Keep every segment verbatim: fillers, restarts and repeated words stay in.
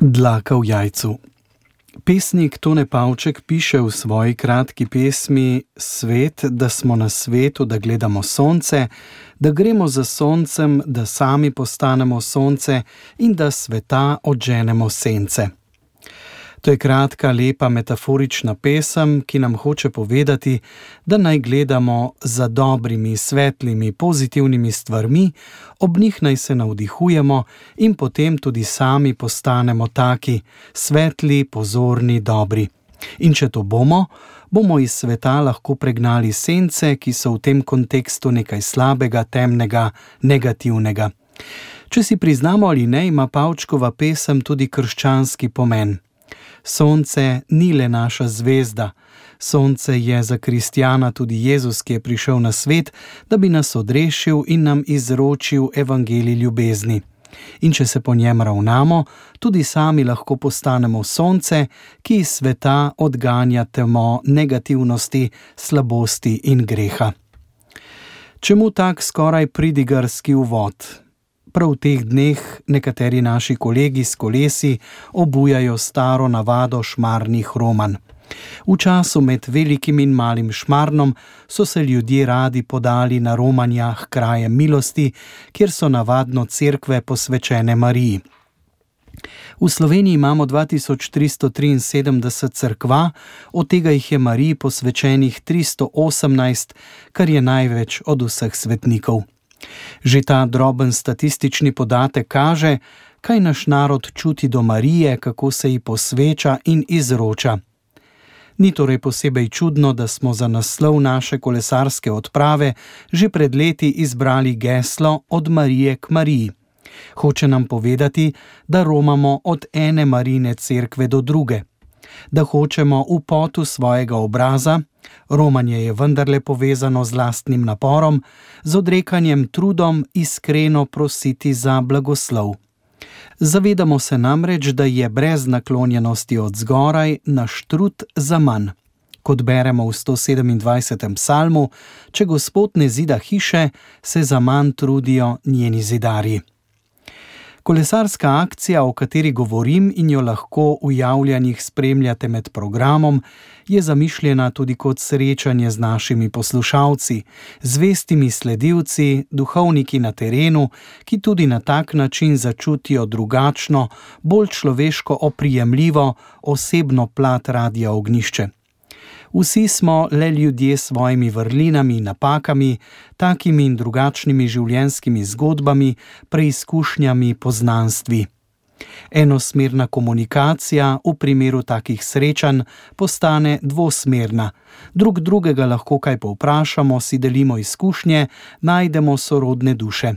Dlaka v jajcu. Pesnik Tone Pavček piše v svoji kratki pesmi Svet, da smo na svetu, da gledamo sonce, da gremo za soncem, da sami postanemo sonce in da sveta odženemo sence. To je kratka, lepa, metaforična pesem, ki nam hoče povedati, da naj gledamo za dobrimi, svetlimi, pozitivnimi stvarmi, ob njih naj se navdihujemo in potem tudi sami postanemo taki, svetli, pozorni, dobri. In če to bomo, bomo iz sveta lahko pregnali sence, ki so v tem kontekstu nekaj slabega, temnega, negativnega. Če si priznamo ali ne, ima Pavčkova pesem tudi krščanski pomen. Sonce ni le naša zvezda. Sonce je za kristjana tudi Jezus, ki je prišel na svet, da bi nas odrešil in nam izročil evangelij ljubezni. In če se po njem ravnamo, tudi sami lahko postanemo sonce, ki iz sveta odganja temo negativnosti, slabosti in greha. Čemu tak skoraj pridigarski uvod? Prav v teh dneh nekateri naši kolegi s kolesi obujajo staro navado šmarnih romanj. V času med velikim in malim Šmarnom so se ljudje radi podali na romanja k krajem milosti, kjer so navadno cerkve posvečene Mariji. V Sloveniji imamo dva tisoč tristo triinsedemdeset cerkva, od tega jih je Mariji posvečenih tristo osemnajst, kar je največ od vseh svetnikov. Že ta droben statistični podatek kaže, kaj naš narod čuti do Marije, kako se ji posveča in izroča. Ni torej posebej čudno, da smo za naslov naše kolesarske odprave že pred leti izbrali geslo Od Marije k Mariji. Hoče nam povedati, da romamo od ene Marijine cerkve do druge, da hočemo v potu svojega obraza, romanje je vendarle povezano z lastnim naporom, z odrekanjem trudom iskreno prositi za blagoslov. Zavedamo se namreč, da je brez naklonjenosti od zgoraj naš trud zaman. Kot beremo v sto sedemindvajsetem psalmu, če Gospod ne zida hiše, se zaman trudijo njeni zidarji. Kolesarska akcija, o kateri govorim in jo lahko v javljanjih spremljate med programom, je zamišljena tudi kot srečanje z našimi poslušalci, zvestimi sledilci, duhovniki na terenu, ki tudi na tak način začutijo drugačno, bolj človeško oprijemljivo, osebno plat Radia Ognjišče. Vsi smo le ljudje s svojimi vrlinami in napakami, takimi in drugačnimi življenjskimi zgodbami, preizkušnjami, poznanstvi. Enosmerna komunikacija v primeru takih srečanj postane dvosmerna. Drug drugega lahko kaj povprašamo, si delimo izkušnje, najdemo sorodne duše.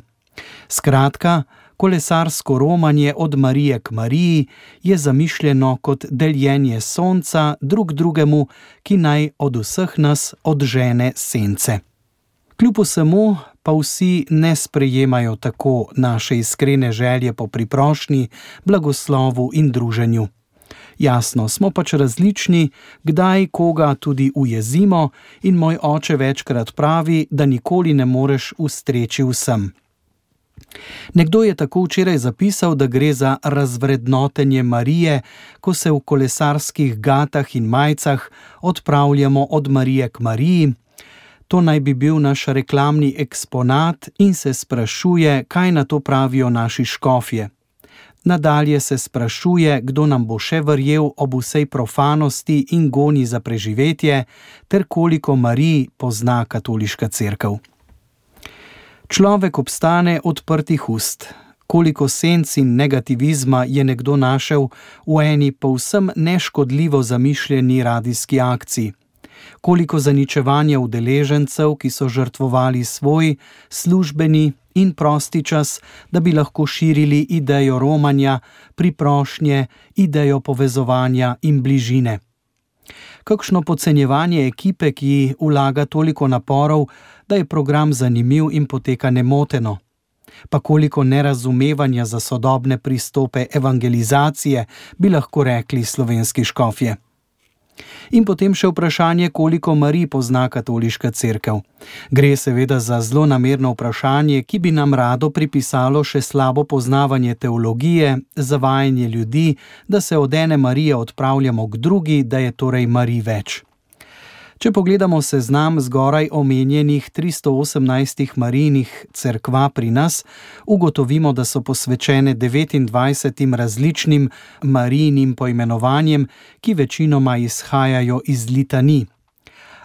Skratka, kolesarsko romanje Od Marije k Mariji je zamišljeno kot deljenje sonca drug drugemu, ki naj od vseh nas odžene sence. Kljub vsemu pa vsi ne sprejemajo tako naše iskrene želje po priprošnji, blagoslovu in druženju. Jasno, smo pač različni, kdaj koga tudi ujezimo, in moj oče večkrat pravi, da nikoli ne moreš ustreči vsem. Nekdo je tako včeraj zapisal, da gre za razvrednotenje Marije, ko se v kolesarskih gatah in majcah odpravljamo od Marije k Mariji. To naj bi bil naš reklamni eksponat in se sprašuje, kaj na to pravijo naši škofje. Nadalje se sprašuje, kdo nam bo še verjel ob vsej profanosti in goni za preživetje, ter koliko Marij pozna katoliška cerkev. Človek obstane odprtih ust. Koliko senc in negativizma je nekdo našel v eni povsem neškodljivo zamišljeni radijski akciji. Koliko zaničevanja udeležencev, ki so žrtvovali svoj službeni in prosti čas, da bi lahko širili idejo romanja, priprošnje, idejo povezovanja in bližine. Kakšno podcenjevanje ekipe, ki vlaga toliko naporov, da je program zanimiv in poteka nemoteno. Pa koliko nerazumevanja za sodobne pristope evangelizacije, bi lahko rekli slovenski škofje. In potem še vprašanje, koliko Marij pozna katoliška cerkev. Gre seveda za zlonamerno vprašanje, ki bi nam rado pripisalo še slabo poznavanje teologije, zavajanje ljudi, da se od ene Marije odpravljamo k drugi, da je torej Marij več. Če pogledamo seznam zgoraj omenjenih tristo osemnajstih Marijinih cerkva pri nas, ugotovimo, da so posvečene devetindvajsetim različnim Marijinim poimenovanjem, ki večinoma izhajajo iz litanij.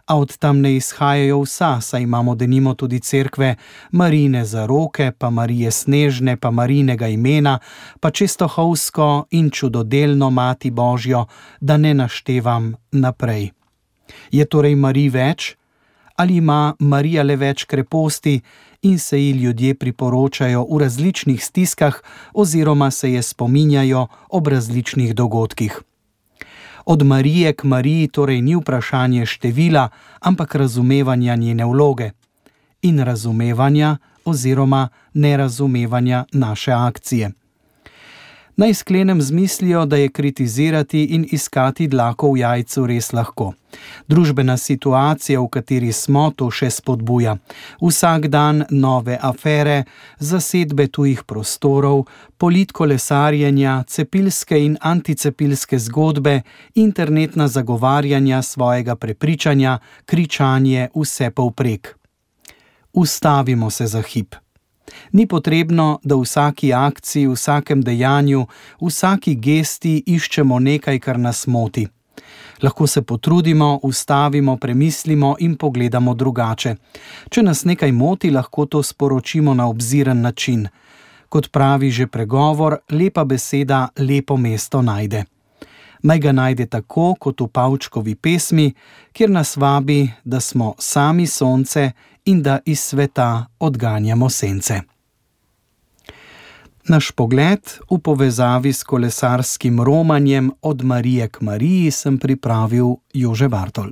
A od tam ne izhajajo vsa, saj imamo denimo tudi cerkve Marijine zaroke, pa Marije Snežne, pa Marijinega imena, pa Čestohovsko in Čudodelno Mati Božjo, da ne naštevam naprej. Je torej Marij več? Ali ima Marija le več kreposti in se ji ljudje priporočajo v različnih stiskah oziroma se je spominjajo ob različnih dogodkih? Od Marije k Mariji torej ni vprašanje števila, ampak razumevanja njene vloge in razumevanja oziroma nerazumevanja naše akcije. Naj sklenem z mislijo, da je kritizirati in iskati dlako v jajcu res lahko. Družbena situacija, v kateri smo, to še spodbuja. Vsak dan nove afere, zasedbe tujih prostorov, politkolesarjenja, cepilske in anticepilske zgodbe, internetna zagovarjanja svojega prepričanja, kričanje vse povprek. Ustavimo se za hip. Ni potrebno, da v vsaki akciji, v vsakem dejanju, v vsaki gesti iščemo nekaj, kar nas moti. Lahko se potrudimo, ustavimo, premislimo in pogledamo drugače. Če nas nekaj moti, lahko to sporočimo na obziren način. Kot pravi že pregovor, lepa beseda lepo mesto najde. Naj ga najde tako, kot v Pavčkovi pesmi, kjer nas vabi, da smo sami sonce in da iz sveta odganjamo sence. Naš pogled v povezavi s kolesarskim romanjem od Marije k Mariji sem pripravil Jože Bartol.